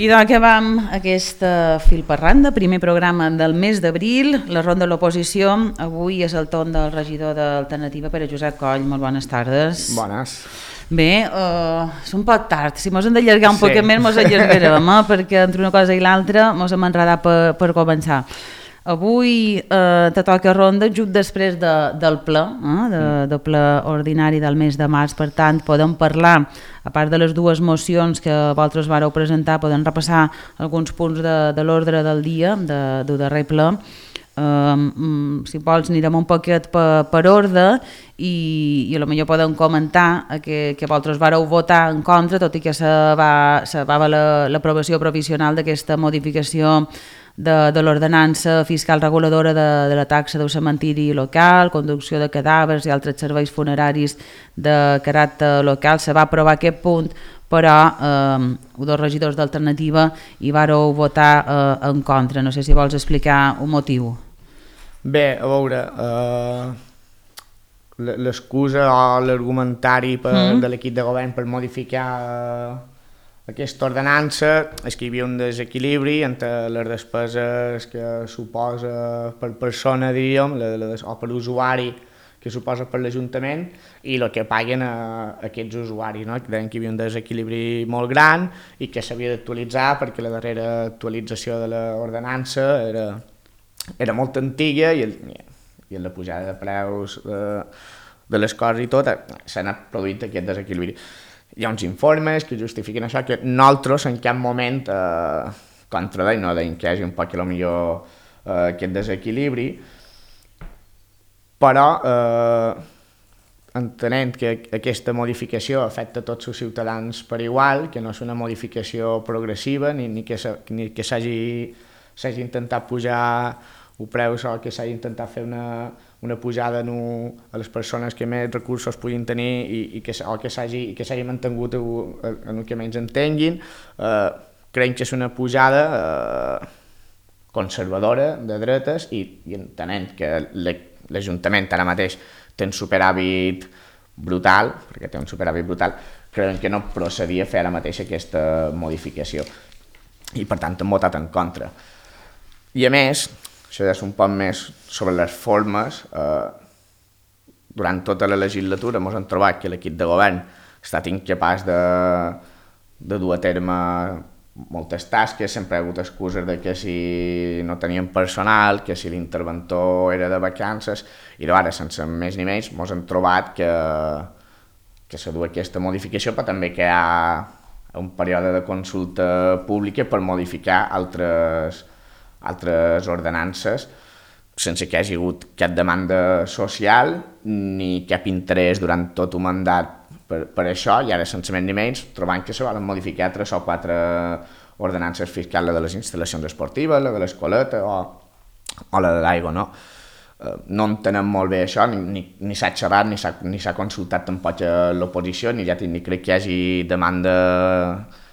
I doncs acabam aquest fil per randa, primer programa del mes d'abril, la ronda de l'oposició. Avui és el torn del regidor d'Alternativa, Pere Josep Coll. Molt bones tardes. Bones. Bé, és un poc tard, si mos hem d'allargar un poc més mos allargarem, perquè entre una cosa i l'altra mos hem enredat per començar. Avui te toca ronda just després del ple, del ple ordinari del mes de març, per tant podem parlar, a part de les dues mocions que vosaltres vareu presentar, podem repassar alguns punts de l'ordre del dia, del darrer ple. Si vols anirem un poquet per ordre i potser podem comentar que vosaltres vareu votar en contra, tot i que se va l'aprovació provisional d'aquesta modificació de l'ordenança fiscal reguladora de la taxa del cementiri local, conducció de cadàvers i altres serveis funeraris de caràcter local. Se va aprovar aquest punt, però dos regidors d'Alternativa hi vareu votar en contra. No sé si vols explicar un motiu. Bé, a veure, l'excusa o l'argumentari de l'equip de govern per modificar aquesta ordenança és que hi havia un desequilibri entre les despeses que suposa per persona, diríem, o per usuari que suposa per l'Ajuntament i el que paguen aquests usuaris, no? Que deien que hi havia un desequilibri molt gran i que s'havia d'actualitzar perquè la darrera actualització de l'ordenança era molt antiga i la pujada de preus de les coses i tot s'ha anat produint aquest desequilibri. Hi ha uns informes que justifiquen això, que nosaltres en cap moment contradeim, no deim que hi hagi un poc aquest desequilibri, però entenent que aquesta modificació afecta tots els ciutadans per igual, que no és una modificació progressiva ni que s'hagi intentat pujar el preu o que s'hagi intentat fer una pujada a les persones que més recursos puguin tenir i que s'hagi mantingut en el que menys entenguin. Creiem que és una pujada conservadora de dretes i entenent que l'Ajuntament ara mateix té un superàvit brutal, creiem que no procedia fer ara mateix aquesta modificació i per tant hem votat en contra. I a més, això és un poc més sobre les formes. Durant tota la legislatura ens hem trobat que l'equip de govern ha estat incapaç de dur a terme moltes tasques, sempre ha hagut excuses de que si no tenien personal, que si l'interventor era de vacances, i ara, sense més ni menys, ens hem trobat que s'ha dut aquesta modificació, però també que hi ha un període de consulta pública per modificar altres ordenances sense que hi hagi hagut cap demanda social ni cap interès durant tot un mandat per això, i ara sense més ni menys trobant que se volen modificar 3 o 4 ordenances fiscals, la de les instal·lacions esportives, la de l'escoleta o la de l'aigua, no? No entenem molt bé això, ni s'ha xerrat ni s'ha consultat tampoc a l'oposició, ni crec que hi hagi demanda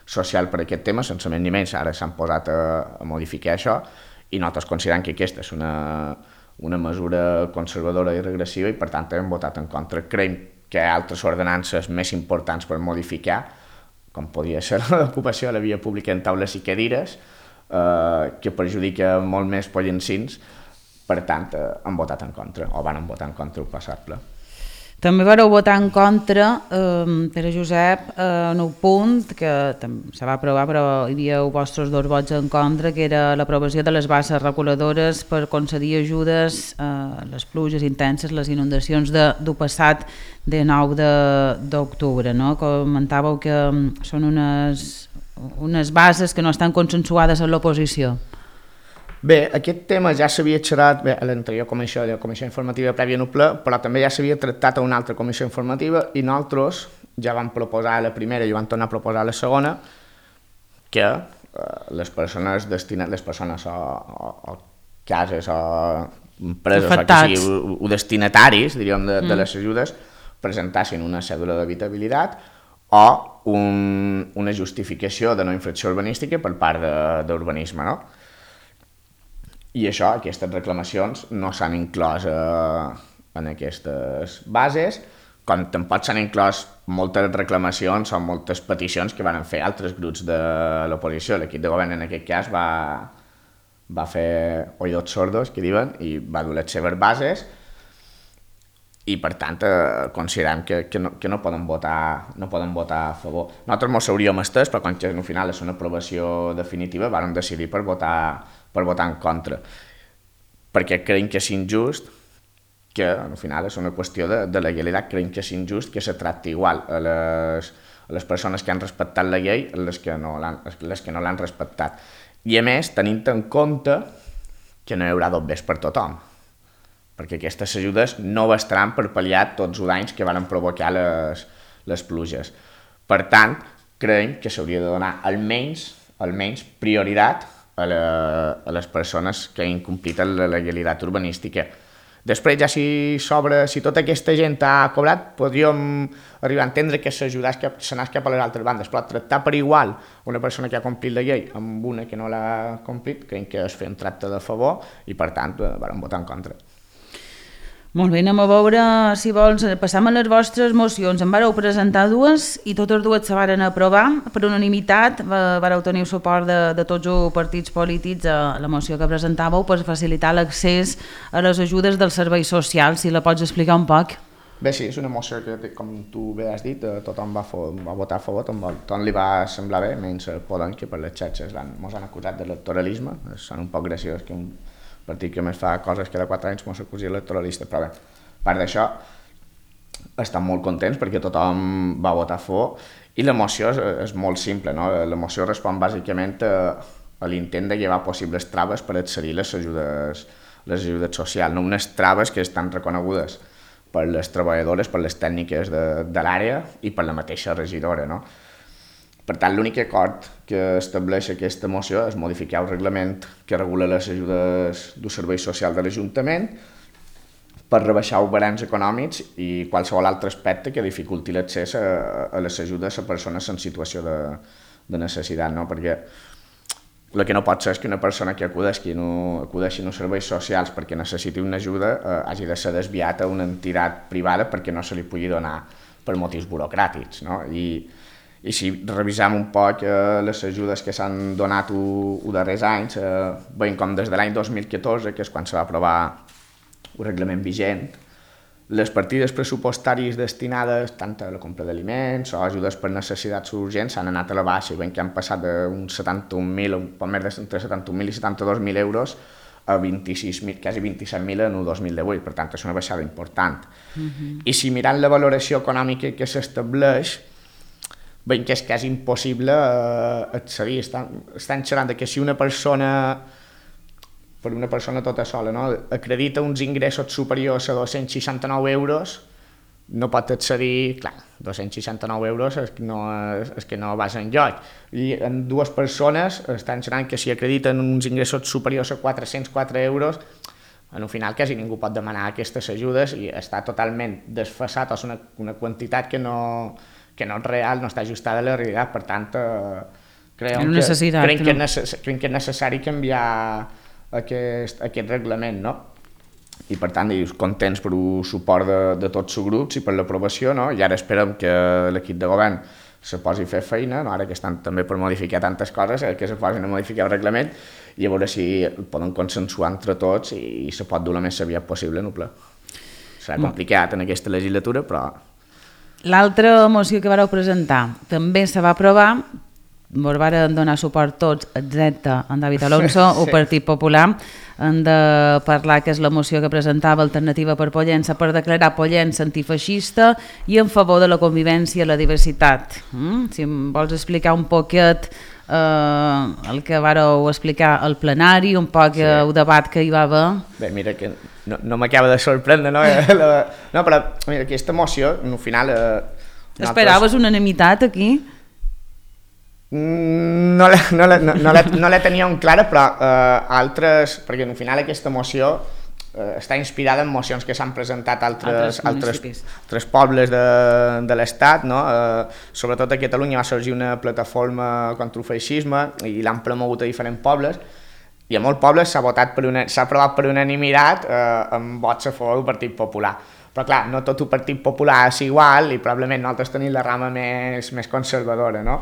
social per aquest tema, sense més ni menys ara s'han posat a modificar això i nosaltres considerem que aquesta és una mesura conservadora i regressiva i per tant hem votat en contra. Creiem que hi ha altres ordenances més importants per modificar, com podria ser l'ocupació de la via pública en taules i cadires, que perjudica molt més pollancins, per tant hem votat en contra, o van votar en contra el passat ple. També vareu votar en contra, Pere Josep, en un punt que se va aprovar però hi havia vostres 2 vots en contra, que era l'aprovació de les bases reguladores per concedir ajudes a les pluges intenses, les inundacions del passat de 9 d'octubre. No? Comentàveu que són unes bases que no estan consensuades amb l'oposició. Bé, aquest tema ja s'havia xerrat a l'anterior comissió informativa prèvia en el ple, però també ja s'havia tractat a una altra comissió informativa i nosaltres ja vam proposar a la primera i vam tornar a proposar a la segona que les persones o cases o empreses afectats, o destinataris, diríem, de les ajudes presentassin una cèdula d'habitabilitat o una justificació de no infracció urbanística per part d'urbanisme, no? I aquestes reclamacions no s'han inclòs en aquestes bases, com tampoc s'han inclòs moltes reclamacions o moltes peticions que van fer altres grups de l'oposició. L'equip de govern en aquest cas va fer oïdos sordos, que diuen, i va dur les seves bases, i per tant considerem que no poden votar a favor. Nosaltres ens hauríem estès, però quan al final és una aprovació definitiva vam decidir per votar en contra, perquè creiem que és injust, que al final és una qüestió de legalitat, creiem que és injust que se tracti igual a les persones que han respectat la llei a les que no l'han respectat. I a més, tenint en compte que no hi haurà dobbers per tothom, perquè aquestes ajudes no bastaran per pal·liar tots els danys que van provocar les pluges. Per tant, creiem que s'hauria de donar almenys prioritat a les persones que incompleten la legalitat urbanística. Després, ja si tota aquesta gent ha cobrat, podríem arribar a entendre que s'anés cap a les altres bandes, però tractar per igual una persona que ha complit la llei amb una que no l'ha complit, creiem que és fer un tracte de favor i, per tant, vam votar en contra. Molt bé, anem a veure, si vols, passam a les vostres mocions. En vareu presentar dues i totes dues se varen aprovar per unanimitat. Vareu tenir suport de tots els partits polítics a la moció que presentàveu per facilitar l'accés a les ajudes dels serveis socials. Si la pots explicar un poc. Bé, sí, és una moció que, com tu bé has dit, tothom va votar a favor, tothom li va semblar bé, menys Podem, que per les xarxes ens han acusat d'electoralisme. Són un poc graciós que un partit que més fa coses cada 4 anys ens acusi electoralista, però bé, a part d'això estan molt contents perquè tothom va votar a favor i la moció és molt simple, no? La moció respon bàsicament a l'intent de llevar possibles traves per accedir a les ajudes socials, no unes traves que estan reconegudes per les treballadores, per les tècniques de l'àrea i per la mateixa regidora, no? Per tant, l'únic acord que estableix aquesta moció és modificar el reglament que regula les ajudes d'un servei social de l'Ajuntament per rebaixar els barems econòmics i qualsevol altre aspecte que dificulti l'accés a les ajudes a persones en situació de necessitat, no? Perquè el que no pot ser és que una persona que acudeixi a serveis socials perquè necessiti una ajuda hagi de ser desviat a una entitat privada perquè no se li pugui donar per motius burocràtics, no? I si revisem un poc les ajudes que s'han donat els darrers anys, veiem com des de l'any 2014, que és quan se va aprovar el reglament vigent, les partides pressupostàries destinades tant a la compra d'aliments o ajudes per necessitats urgents s'han anat a la baixa i veiem que han passat d'uns 71.000, un poc més entre 71.000 i 72.000 euros a 26.000, quasi 27.000 en el 2018, per tant és una baixada important. I si mirant la valoració econòmica que s'estableix, veiem que és quasi impossible accedir. Estan xerrant que si una persona tota sola, no, acredita uns ingressos superiors a 269 euros, no pot accedir, clar, 269 euros és que no vas enlloc. I en dues persones estan xerrant que si acrediten uns ingressos superiors a 404 euros, al final quasi ningú pot demanar aquestes ajudes i està totalment desfasat, és una quantitat que no és real, no està ajustada a la realitat, per tant creiem que és necessari canviar aquest reglament, no? I per tant contents per el suport de tots els grups i per l'aprovació, no? I ara esperem que l'equip de govern se posi a fer feina, no? Ara que estan també per modificar tantes coses, que se posin a modificar el reglament i a veure si poden consensuar entre tots i se pot dur la més aviat possible en el ple. Serà complicat en aquesta legislatura, però... L'altra moció que vareu presentar també se va aprovar, vos varen donar suport tots, excepte en David Alonso, sí. El Partit Popular. Hem de parlar que és la moció que presentava Alternativa per Pollença per declarar Pollença antifeixista i en favor de la convivència i la diversitat. Si em vols explicar un poquet el que vareu explicar al plenari, un poc el debat que hi va haver. Bé, mira que no m'acaba de sorprendre, no? No, però mira, aquesta moció, al final... Esperaves unanimitat aquí? No la teníem clara, però altres... Perquè al final aquesta moció està inspirada en mocions que s'han presentat altres pobles de l'Estat, no? Sobretot a Catalunya va sorgir una plataforma contra el feixisme i l'han promogut a diferents pobles i a molts pobles s'ha aprovat per unanimitat amb vots a favor del Partit Popular. Però clar, no tot el Partit Popular és igual i probablement nosaltres tenim la rama més conservadora, no?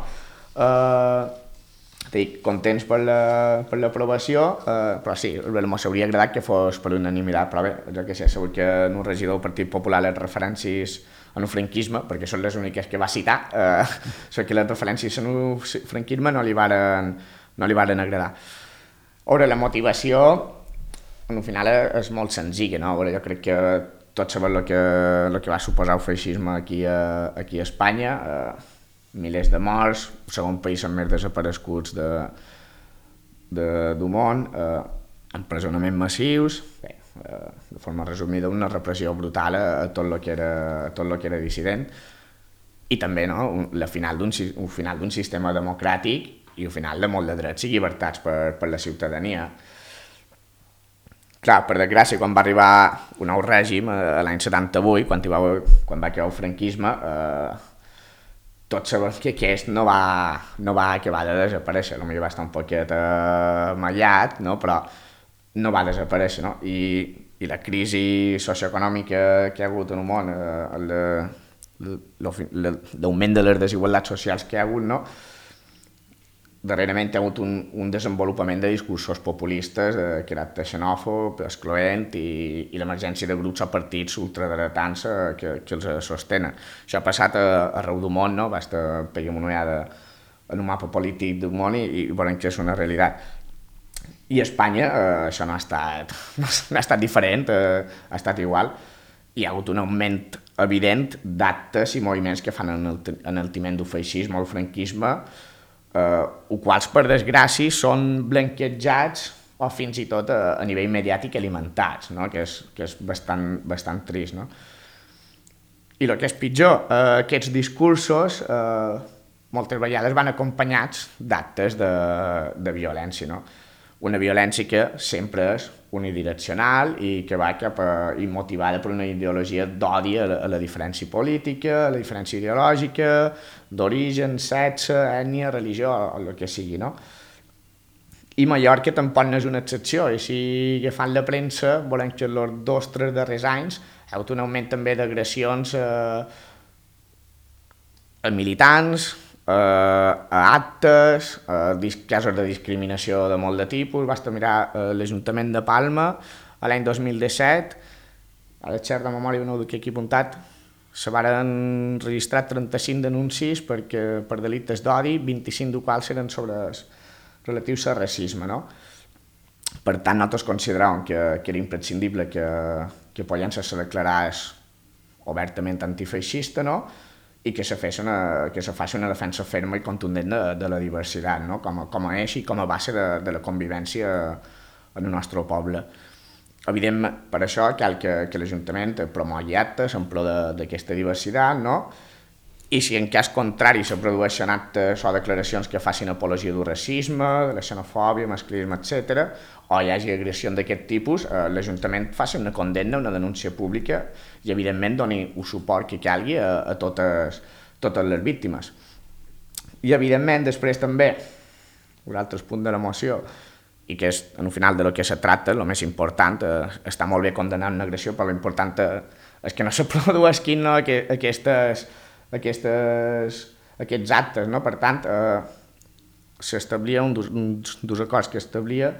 Estic contents per l'aprovació, però sí, m'hauria agradat que fos per unanimitat, però bé, jo que sé, segur que un regidor del Partit Popular les referències en el franquisme, perquè són les úniques que va citar, que les referències en el franquisme no li varen agradar. Ara, la motivació, al final és molt senzilla, no? Jo crec que tots sabem el que va suposar el feixisme aquí a Espanya, milers de morts, el segon país amb més desapareguts del món, empresonaments massius, bé, de forma resumida, una repressió brutal a tot el que era dissident, i també el final d'un sistema democràtic i el final de molt de drets i llibertats per la ciutadania. Clar, per desgràcia, quan va arribar un nou règim, l'any 78, quan va quedar el franquisme, tots sabem que aquest no va acabar de desaparèixer, potser va estar un poquet mallat, no? Però no va desaparèixer, no? I la crisi socioeconòmica que hi ha hagut en el món, l'augment de les desigualtats socials que hi ha hagut, no? Darrerament hi ha hagut un desenvolupament de discursos populistes, caràcter xenòfob, excloent i l'emergència de grups o partits ultradretans que els sostenen. Això ha passat arreu del món, no? Basta pegar una ullada en un mapa polític del món i veurem que és una realitat. I a Espanya això no ha estat diferent, ha estat igual. Hi ha hagut un augment evident d'actes i moviments que fan enaltiment del feixisme o el franquisme, quals per desgràcia són blanquejats o fins i tot a nivell mediàtic alimentats, no? que és bastant trist. No? I el que és pitjor, aquests discursos moltes vegades van acompanyats d'actes de violència, no? Una violència que sempre és unidireccional i que va i motivada per una ideologia d'odi a la diferència política, a la diferència ideològica, d'origen, sexe, ètnia, religió, o el que sigui, no? I Mallorca tampoc no és una excepció, i si agafant la premsa volem que els 2 o 3 darrers anys hi ha hagut un augment també d'agressions a militants, a actes, casos de discriminació de molt de tipus. Basta mirar l'Ajuntament de Palma l'any 2017, a la xerra de memòria no ho duc aquí apuntat, se van registrar 35 denúncies per delictes d'odi, 25 dels quals eren relatius al racisme, no? Per tant, nosaltres consideràvem que era imprescindible que Pollença se declarés obertament antifeixista, no? I que se faci una defensa ferma i contundent de la diversitat, no? com a eix i com a base de la convivència en el nostre poble. Evidentment, per això cal que l'Ajuntament promogui actes en pro d'aquesta diversitat, no? I si en cas contrari se produeixen actes o declaracions que facin apologia del racisme, de la xenofòbia, masclisme, etc., o hi hagi agressions d'aquest tipus, l'Ajuntament faci una condemna, una denúncia pública i, evidentment, doni el suport que calgui a totes les víctimes. I, evidentment, després també, un altre punt de la moció, i que és, al final, de lo que se tracta, el més important, està molt bé condenar una agressió, però l'important és que no se produeixin aquests actes, no? Per tant, s'establia un dels acords que establia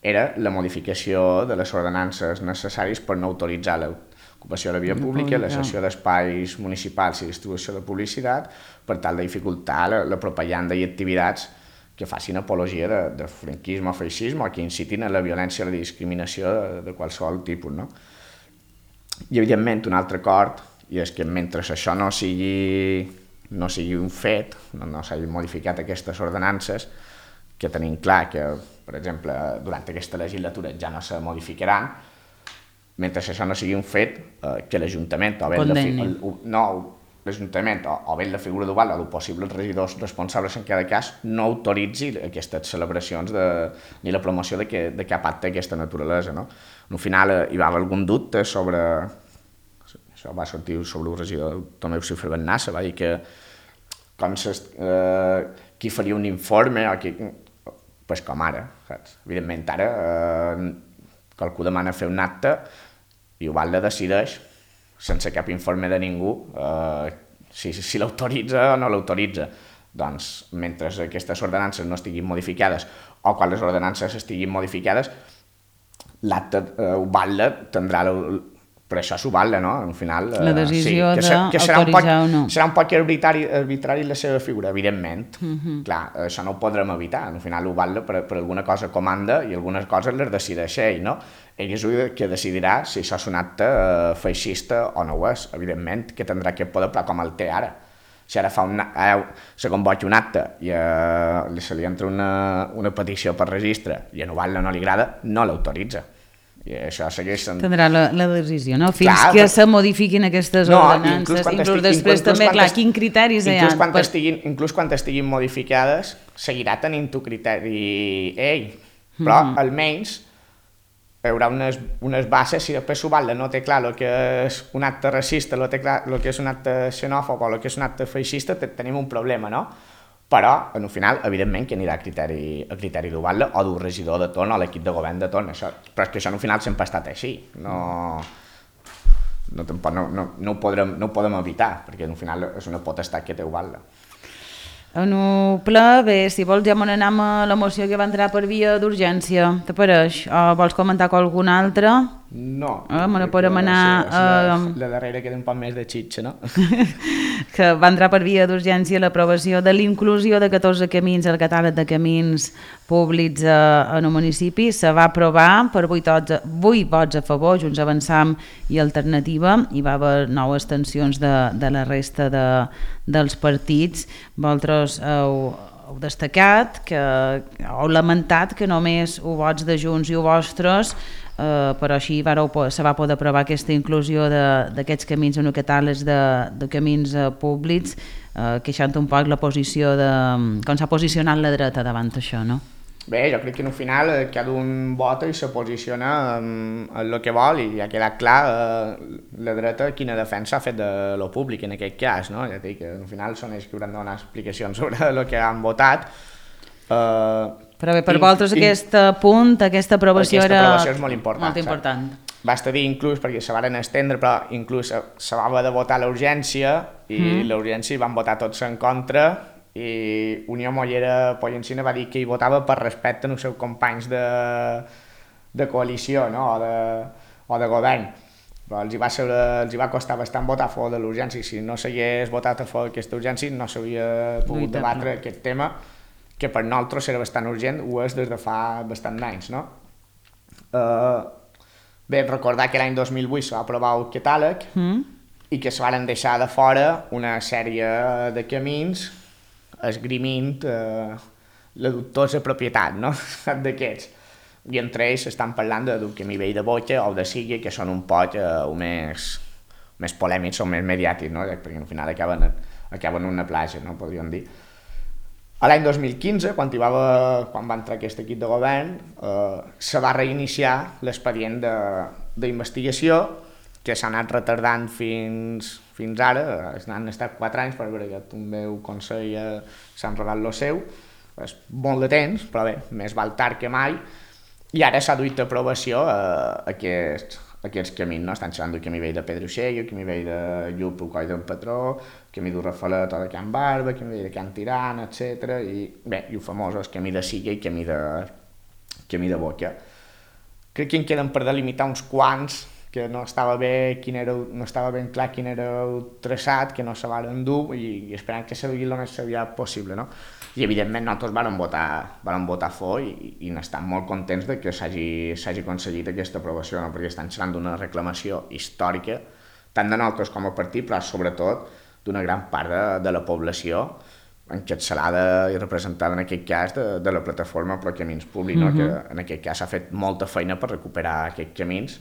era la modificació de les ordenances necessàries per no autoritzar l'ocupació de la via pública, la cessió d'espais municipals i distribució de publicitat per tal de dificultar la propaganda i activitats que facin apologia de franquisme o feixisme o que incitin a la violència o la discriminació de qualsevol tipus, no? I, evidentment, un altre acord, i és que mentre això no sigui un fet, no s'hagin modificat aquestes ordenances, que tenim clar que, per exemple, durant aquesta legislatura ja no se modificaran, mentre això no sigui un fet, que l'Ajuntament o bé la figura d'Oval o els possibles regidors responsables en cada cas no autoritzi aquestes celebracions ni la promoció de cap acte d'aquesta naturalesa, no? Al final hi va haver algun dubte sobre... Això va sortir sobre el regidor Tomeu Cifra Bennassa, va dir que qui faria un informe o pues com ara, saps? Evidentment, ara qualcú demana fer un acte i Ubalda decideix, sense cap informe de ningú, si l'autoritza o no l'autoritza. Doncs, mentre aquestes ordenances no estiguin modificades o quan les ordenances estiguin modificades, l'acte Ubalda tindrà... Per això s'Ubalda, no? Al final... La decisió d'autoritzar o no. Serà un poc arbitrari la seva figura, evidentment. Clar, això no ho podrem evitar. Al final Ubalda per alguna cosa comanda i algunes coses les decideix ell, no? Ell és el que decidirà si això és un acte feixista o no ho és. Evidentment que tindrà aquest poder, però com el té ara. Si ara se convoca un acte i se li entra una petició per registre i a Ubalda no li agrada, no l'autoritza. I això segueix sent... Tindrà la decisió, no? Fins que se modifiquin aquestes ordenances. Inclús després també, clar, quin criteris hi ha? Inclús quan estiguin modificades, seguirà tenint tu criteri ell, però almenys hi haurà unes bases. Si després Ubalda no té clar el que és un acte racista, el que és un acte xenòfob o el que és un acte feixista, tenim un problema, no? Però, en el final, evidentment, que anirà a criteri d'Ubalda o d'un regidor de torn o l'equip de govern de torn. Però és que això, en el final, sempre ha estat així. No ho podem evitar, perquè, en el final, és una potestat que té Ubalda. En el ple, bé, si vols ja me n'anem a la moció que va entrar per via d'urgència. T'apareix? O vols comentar alguna altra? No. Me ne podem anar... La darrera queda un poc més de xitxa, no? Que va entrar per via d'urgència l'aprovació de l'inclusió de 14 camins al catàleg de camins públics en el municipi. Se va aprovar per 8 vots a favor, Junts Avançam i Alternativa. Hi va haver 9 abstencions de la resta dels partits. Vosaltres heu destacat, heu lamentat que només vots de Junts i vostres, però així se va poder aprovar aquesta inclusió d'aquests camins en el catàleg de camins públics, queixant un poc la posició com s'ha posicionat la dreta davant això, no? Bé, jo crec que al final cada un vota i se posiciona en el que vol i ha quedat clar la dreta quina defensa ha fet de lo públic en aquest cas, no? Ja dic que al final són ells que hauran de donar explicacions sobre el que han votat. Però bé, per vosaltres aquest punt, aquesta aprovació és molt important. Molt important. Basta dir inclús, perquè se van estendre, però inclús se va haver de votar l'urgència i l'urgència hi van votar tots en contra i Unió Mollera Pollencina va dir que hi votava per respecte als seus companys de coalició, no? o de govern. Però els hi va costar bastant votar a favor de l'urgència. Si no s'hagués votat a favor d'aquesta urgència no s'hauria pogut debatre aquest tema, que per nosaltres era bastant urgent, ho és des de fa bastant d'anys, no? Bé, recordar que l'any 2008 se va aprovar el catàleg i que se van deixar de fora una sèrie de camins esgrimint la dubtosa propietat, no? d'aquests. I entre ells estan parlant d'un camí vell de Boca o de Sigui, que són un poc més polèmics o més mediàtics, no? Perquè al final acaben en una platja, no? Podríem dir. L'any 2015, quan va entrar aquest equip de govern, se va reiniciar l'expedient d'investigació que s'ha anat retardant fins ara. Han estat 4 anys, per veure que també el Consell s'ha enredat el seu. És molt de temps, però bé, més val tard que mai. I ara s'ha duit a aprovació aquests camins, no? Estan xerrant del camí vell de Pedroxell, el camí vell de Llup, el Coll d'en Patró, el camí d'Urrafalet o de Can Barba, el camí vell de Can Tirant, etc. I bé, i el famós el camí de Siga i el camí de Boca. Crec que en queden per delimitar uns quants que no estava ben clar quin era el traçat, que no se van dur i esperant que se vegi el més aviat possible, no? I evidentment nosaltres vam votar a favor i n'estem molt contents de que s'hagi aconseguit aquesta aprovació, no? Perquè estan xerrant d'una reclamació històrica, tant de nosaltres com a partit, però sobretot d'una gran part de la població encapçalada i representada en aquest cas de la plataforma Pro Camins Públics, no? Que en aquest cas s'ha fet molta feina per recuperar aquests camins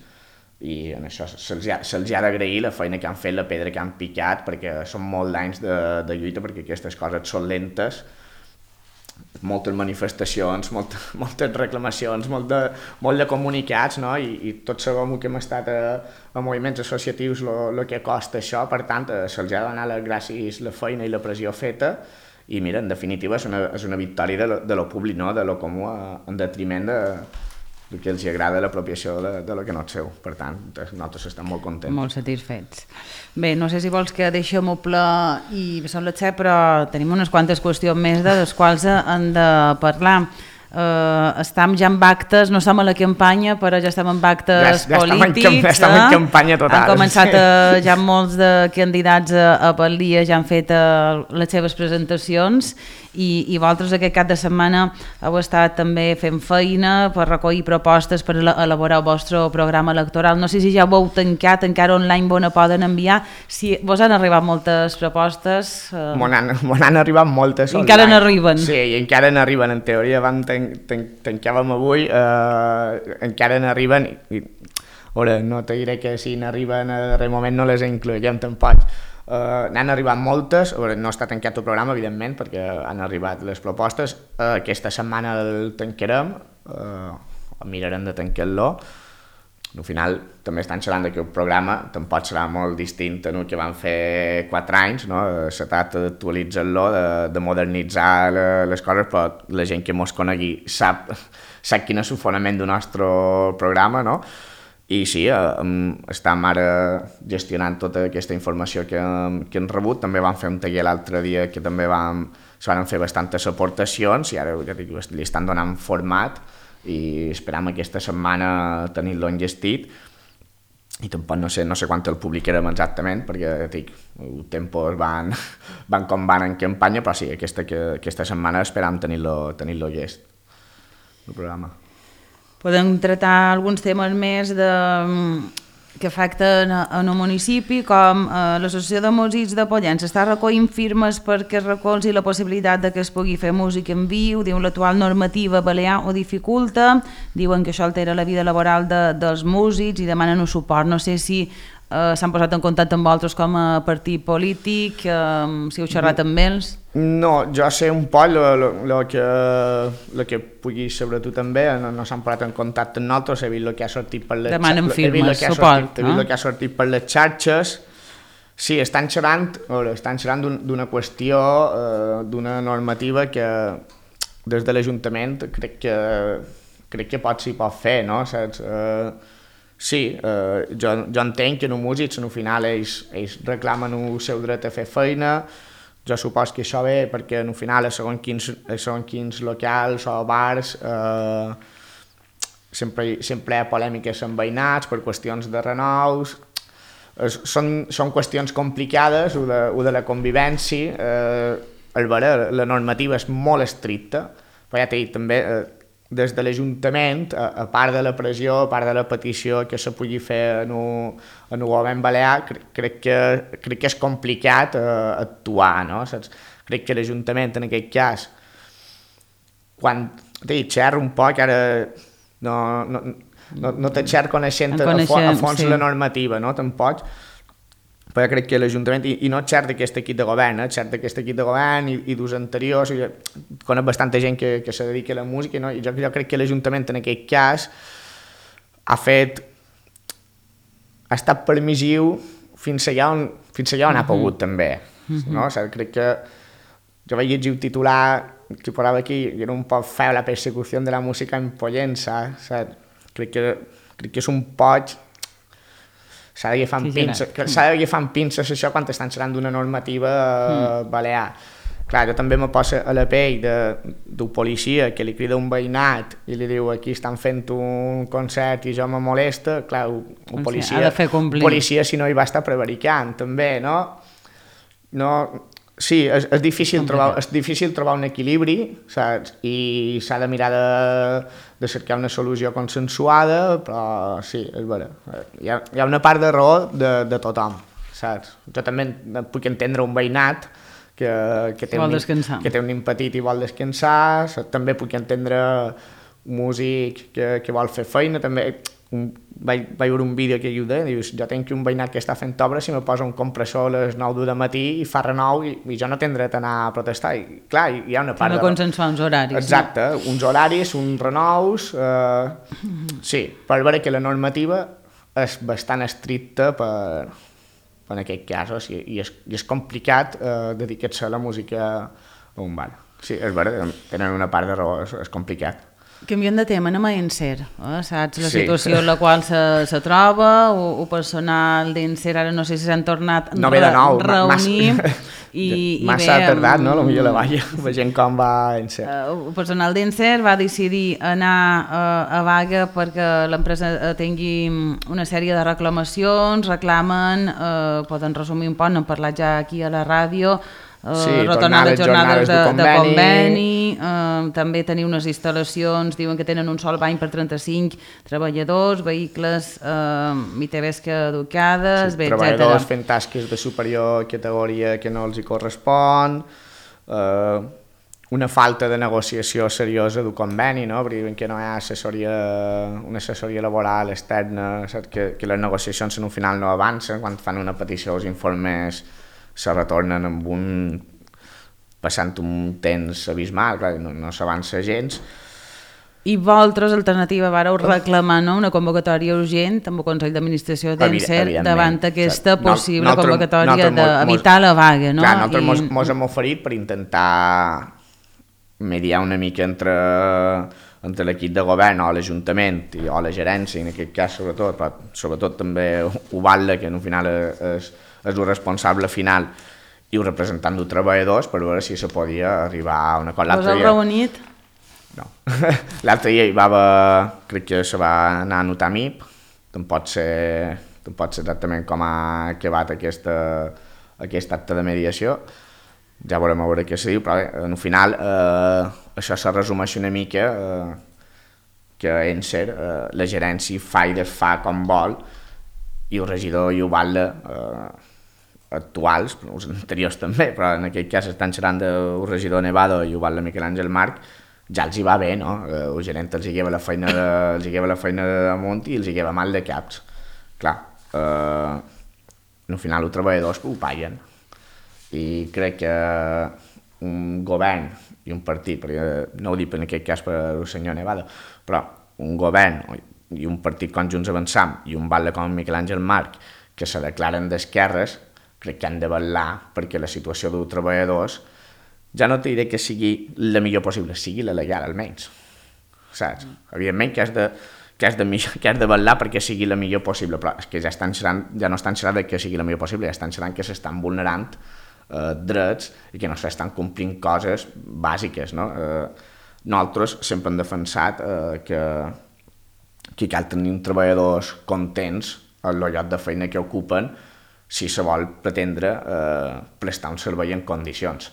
i en això se'ls ha d'agrair la feina que han fet, la pedra que han picat, perquè són molts d'anys de lluita, perquè aquestes coses són lentes, moltes manifestacions, moltes reclamacions, molt de comunicats, no? I tots sabem que hem estat a moviments associatius el que costa això, per tant se'ls ha de donar les gràcies la feina i la pressió feta i mira, en definitiva és una victòria de lo públic, no? De lo comú en detriment del que els agrada l'apropiació de lo que no és seu. Per tant, nosaltres estem molt contents. Molt satisfets. Bé, no sé si vols que deixem-ho ple i són les 7, però tenim unes quantes qüestions més de les quals hem de parlar. Estem ja en actes, no som a la campanya, però ja estem en actes polítics. Estem en campanya total. Han començat ja molts de candidats a Balia, ja han fet les seves presentacions i vosaltres aquest cap de setmana heu estat també fent feina per recollir propostes per elaborar el vostre programa electoral. No sé si ja ho heu tancat, encara online on poden enviar. Si vos han arribat moltes propostes... M'han arribat moltes online. Encara n'arriben. Sí, i encara n'arriben. En teoria tancàvem avui, encara n'arriben. Ara, no te diré que si n'arriben a darrer moment no les inclourem tampoc. N'han arribat moltes, no està tancat el programa evidentment perquè han arribat les propostes, aquesta setmana el tancarem, mirarem de tancar-lo. Al final també estan xerrant que el programa tampoc serà molt distint a el que van fer 4 anys, no? Se tracta d'actualitzar-lo, de modernitzar les coses, però la gent que mos conegui sap quin és el fonament del nostre programa, no? I sí, estem ara gestionant tota aquesta informació que hem rebut. També vam fer un taller l'altre dia que també se van fer bastantes aportacions i ara ja dic, li estan donant format i esperam aquesta setmana tenir-lo enllestit. I tampoc no sé quan el publicarem exactament perquè dic, els tempos van com van en campanya, però sí, aquesta setmana esperam tenir-lo llest, el programa. Podem tratar alguns temes més que afecten en el municipi, com l'Associació de Músics de Pollença està recollint firmes perquè es recolzi la possibilitat de que es pugui fer música en viu. Diu l'actual normativa balear ho dificulta, diuen que això altera la vida laboral dels músics i demanen un suport. No sé si s'han posat en contacte amb vosaltres com a partit polític, si heu xerrat amb ells. No, jo sé un poc el que puguis saber tu també, no s'han posat en contacte amb nosaltres, he vist el que ha sortit per les demanen firmes, suport. He vist el que ha sortit per les xarxes. Sí, estan xerrant d'una qüestió, d'una normativa que des de l'Ajuntament crec que s'hi pot fer, no? Saps? Sí, jo entenc que en un músic al final ells reclamen el seu dret a fer feina. Jo supos que això ve perquè al final segons quins locals o bars sempre hi ha polèmiques amb veïnats per qüestions de renous. Són qüestions complicades, o de la convivència. La normativa és molt estricta, però ja t'he dit també, des de l'Ajuntament, a part de la pressió, a part de la petició que se pugui fer en el govern balear, crec que és complicat actuar, no? Saps? Crec que l'Ajuntament en aquest cas, quan xerro un poc, ara no te xerro coneixent a fons la normativa, no? Tampoc, però crec que l'Ajuntament, i no xerro d'aquest equip de govern, xerro d'aquest equip de govern i dels anteriors, conec bastanta gent que se dedica a la música, no? I jo crec que l'Ajuntament en aquest cas ha estat permissiu fins allà on ha pogut també, no? O sigui, crec que jo vaig llegir el titular que posava aquí i era un poc feo la persecució de la música en Pollença, crec que és un poc... S'ha d'agafar amb pinces això quan estan xerrant d'una normativa balear. Clar, jo també me poso a la pell d'un policia que li crida un veïnat i li diu aquí estan fent un concert i jo me molesta. Clar, un policia si no hi va estar prevaricant també, no? Sí, és difícil trobar un equilibri, saps? I s'ha de mirar de cercar una solució consensuada, però sí, és vera. Hi ha una part de raó de tothom, saps? Jo també puc entendre un veïnat que té un nen petit i vol descansar, també puc entendre un músic que vol fer feina, també vaig veure un vídeo que dius, jo tinc un veïnat que està fent obra, si me posa un compressor a les 9 del matí i fa renou i jo no tindré d'anar a protestar. I clar, hi ha una part de... consensuar uns horaris. Exacte, uns horaris, uns renous... Sí, per veure que la normativa és bastant estricta en aquest cas, i és complicat dedicar-se a la música un bar. Sí, és veritat, tenen una part de raó, és complicat. Canviant de tema, anem a Encer, saps la situació en la qual se troba, o personal d'Encer, ara no sé si s'han tornat no ve de nou, reunir massa tardat, no? Potser la vaia, veient com va Encer. El personal d'Encer va decidir anar a vaga perquè l'empresa tingui una sèrie de reclamacions, reclamen, poden resumir un poc, n'hem parlat ja aquí a la ràdio, retornar les jornades de conveni, també tenir unes instal·lacions, diuen que tenen un sol bany per 35 treballadors, vehicles, ITVs caducades, etc. Treballadors fent tasques de superior categoria que no els hi correspon, una falta de negociació seriosa d'un conveni, no? Perquè diuen que no hi ha una assessoria laboral externa, que les negociacions en un final no avancen, quan fan una petició els informes se retornen amb passant un temps abismal, clar, no s'avança gens. I vosaltres, alternativa, vareu reclamar una convocatòria urgent amb el Consell d'Administració d'Encer davant aquesta possible convocatòria d'evitar la vaga, no? Clar, nosaltres mos hem oferit per intentar mediar una mica entre l'equip de govern o l'Ajuntament o la gerència, en aquest cas sobretot, però sobretot també Ubalda, que en un final és el responsable final i el representant dels treballadors, per veure si se podia arribar a una cosa. Us heu reunit? No. L'altre dia hi va haver, crec que se va anar a notar MIP, tampoc sé exactament com ha acabat aquest acte de mediació, ja veurem a veure què se diu, però bé, en un final això se resumeix una mica que Encer, la gerència fa i desfà com vol, i el regidor i Ubalda actuals, els anteriors també, però en aquest cas estan xerrant del regidor Nevado i Ubalda Miquel Àngel Marc, ja els hi va bé, no? El gerent els hi lleva la feina damunt i els hi lleva mal de caps. Clar, al final els treballadors ho paguen. I crec que un govern i un partit, perquè no ho dic en aquest cas per el senyor Nevado, però un govern i un partit com Junts Avançam i un batlle com Miquel Àngel Marc que se declaren d'esquerres, crec que han de vetllar perquè la situació dels treballadors ja no te diré que sigui la millor possible, sigui la legal almenys, saps? Evidentment que has de vetllar perquè sigui la millor possible, però és que ja no estan xerrant que sigui la millor possible, ja estan xerrant que s'estan vulnerant drets i que no s'estan complint coses bàsiques, no? Nosaltres sempre hem defensat que cal tenir treballadors contents en el lloc de feina que ocupen si se vol pretendre prestar un servei en condicions.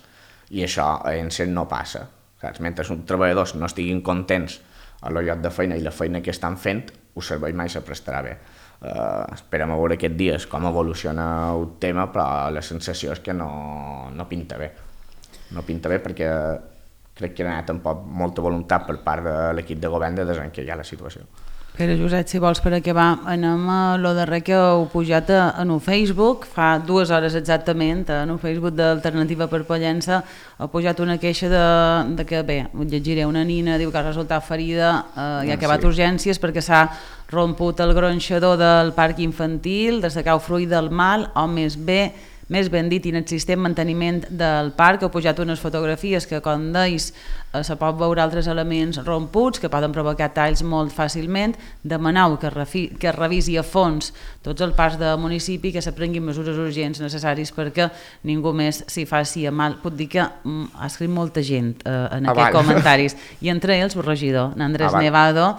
I això a Encer no passa. Saps? Mentre uns treballadors no estiguin contents en el lloc de feina i la feina que estan fent, el servei mai se prestarà bé. Esperem a veure aquests dies com evoluciona el tema, però la sensació és que no pinta bé. No pinta bé perquè crec que hi ha tampoc molta voluntat per part de l'equip de govern de desencallar la situació. Pere Josep, si vols per acabar, anem a lo darrer que heu pujat en el Facebook, fa 2 hores exactament, en el Facebook d'Alternativa per Pollença, heu pujat una queixa de que, bé, ho llegiré, una nina diu que ha resultat ferida i ha acabat urgències perquè s'ha romput el gronxador del parc infantil, de sacar el fruit del mal, o més ben dit, inexistent manteniment del parc. Heu pujat unes fotografies que, com deis, se pot veure altres elements romputs que poden provocar talls molt fàcilment. Demaneu que es revisi a fons tots els parcs del municipi, que se prenguin mesures urgents necessaris perquè ningú més s'hi faci a mal. Puc dir que ha escrit molta gent en aquests comentaris, i entre ells el regidor, Andrés Nevado,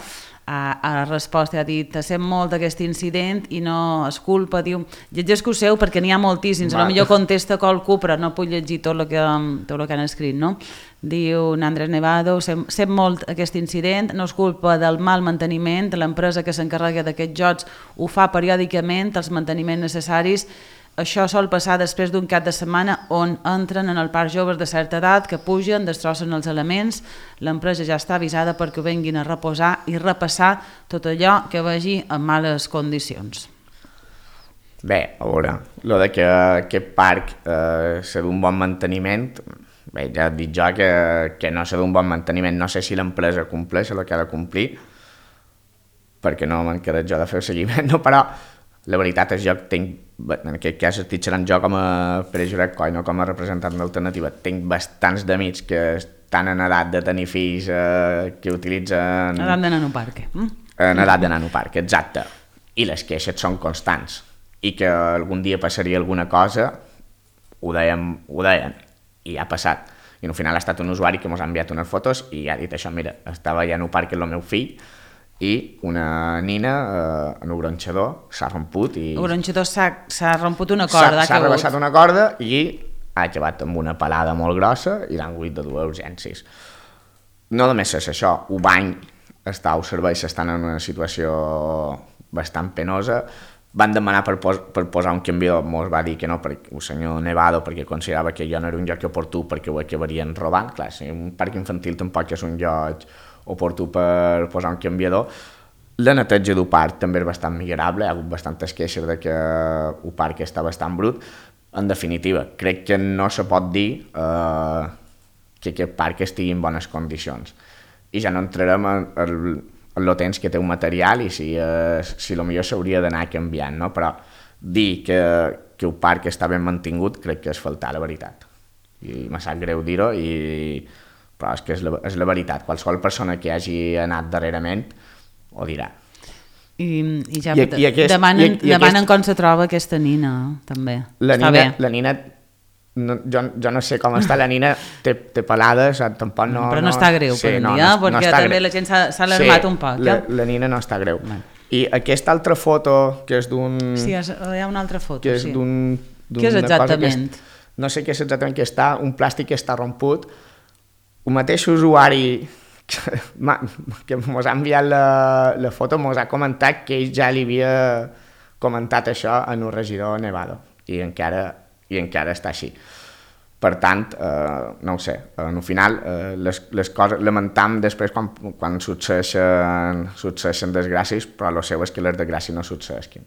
a resposta ha dit: sent molt d'aquest incident i no és culpa, diu, llegeixo-ho perquè n'hi ha moltíssims, potser contesta qualcú però no puc llegir tot el que han escrit, no? Diu Andrés Nevado: sent molt aquest incident, no és culpa del mal manteniment, l'empresa que s'encarrega d'aquests jocs ho fa periòdicament, els manteniments necessaris. Això sol passar després d'un cap de setmana on entren en el parc joves de certa edat que pugen, destrossen els elements. L'empresa ja està avisada perquè venguin a reposar i repassar tot allò que vegi en males condicions. Bé, a veure, el de que aquest parc s'ha d'un bon manteniment, bé, ja et dic jo que no s'ha d'un bon manteniment. No sé si l'empresa compleix el que ha de complir, perquè no m'encarrego jo de fer el seguiment, no? Però la veritat és jo en aquest cas estic xerrant jo com a Pere Josep Coll, no com a representant d'Alternativa. Tinc bastants d'amics que estan en edat de tenir fills que utilitzen... Edat de nanoparque. En edat de nanoparque, exacte. I les queixes són constants. I que algun dia passaria alguna cosa, ho deien, i ha passat. I al final ha estat un usuari que ens ha enviat unes fotos i ha dit això, mira, estava allà en un parc amb el meu fill i una nina en un gronxador s'ha romput i... El gronxador s'ha romput una corda. S'ha rebaixat una corda i ha acabat amb una pelada molt grossa i l'han hagut de dur a urgències. No només és això, Ubany està als serveis, estan en una situació bastant penosa. Van demanar per posar un canviador, mos va dir que no, el senyor Nevado, perquè considerava que jo no era un lloc oportú perquè ho acabarien robant. Clar, si un parc infantil tampoc és un lloc oportú per posar un canviador. La neteja d'un parc també és bastant millorable, hi ha hagut bastantes queixes de que un parc està bastant brut. En definitiva, crec que no se pot dir que aquest parc estigui en bones condicions. I ja no entrarem en el temps que té un material i si potser s'hauria d'anar canviant, no? Però dir que un parc està ben mantingut crec que és faltar la veritat. I me sap greu dir-ho, però és que és la veritat. Qualsevol persona que hagi anat darrerament ho dirà. I ja demanen com se troba aquesta nina, també. La nina, jo no sé com està la nina, té pelades, tampoc no... Però no està greu, per dia, perquè també la gent s'ha alarmat un poc. La nina no està greu. I aquesta altra foto, que és d'un... Sí, hi ha una altra foto, que és d'un... Què és exactament? No sé què és exactament que està, un plàstic que està romput. Un mateix usuari que ens ha enviat la foto ens ha comentat que ell ja li havia comentat això en un regidor Nevado i encara està així. Per tant, no ho sé, al final les coses lamentam després quan succeeixen desgràcies, però el seu és que les desgràcies no succeeixin.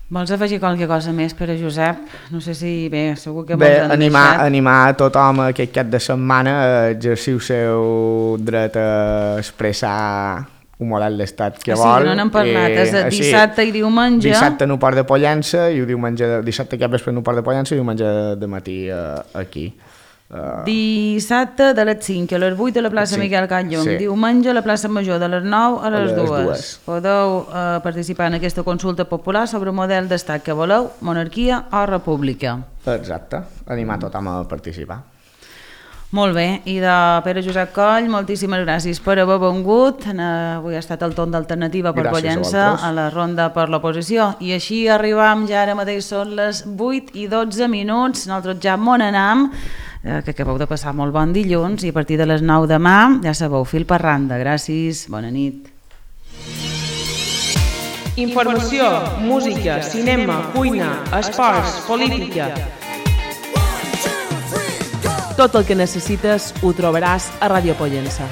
Vols afegir qualque cosa més, Pere Josep? No sé si... Bé, segur que vols animar a tothom aquest cap de setmana a exercir el seu dret a expressar un model d'estat que vol. Sí, no n'hem parlat, és dissabte i diumenge. Dissabte en un port de Pollença, i dissabte cap vespre en un port de Pollença i diumenge de matí aquí. Dissabte de les 5 a les 8 a la plaça Miquel Catllum, diumenge a la plaça Major de les 9 a les 2. Podeu participar en aquesta consulta popular sobre el model d'estat que voleu, monarquia o república. Exacte, animar tothom a participar. Molt bé, i de Pere Josep Coll, moltíssimes gràcies per haver vengut. Avui ha estat el torn d'Alternativa per Pollença a la ronda per l'oposició. I així arribam, ja ara mateix són les 8:12. Nosaltres ja m'on anam, que acabeu de passar molt bon dilluns, i a partir de les 9 demà, ja sabeu, fil per randa. Gràcies, bona nit. Informació, música, cinema, cuina, esports, política... Tot el que necessites ho trobaràs a Ràdio Pollença.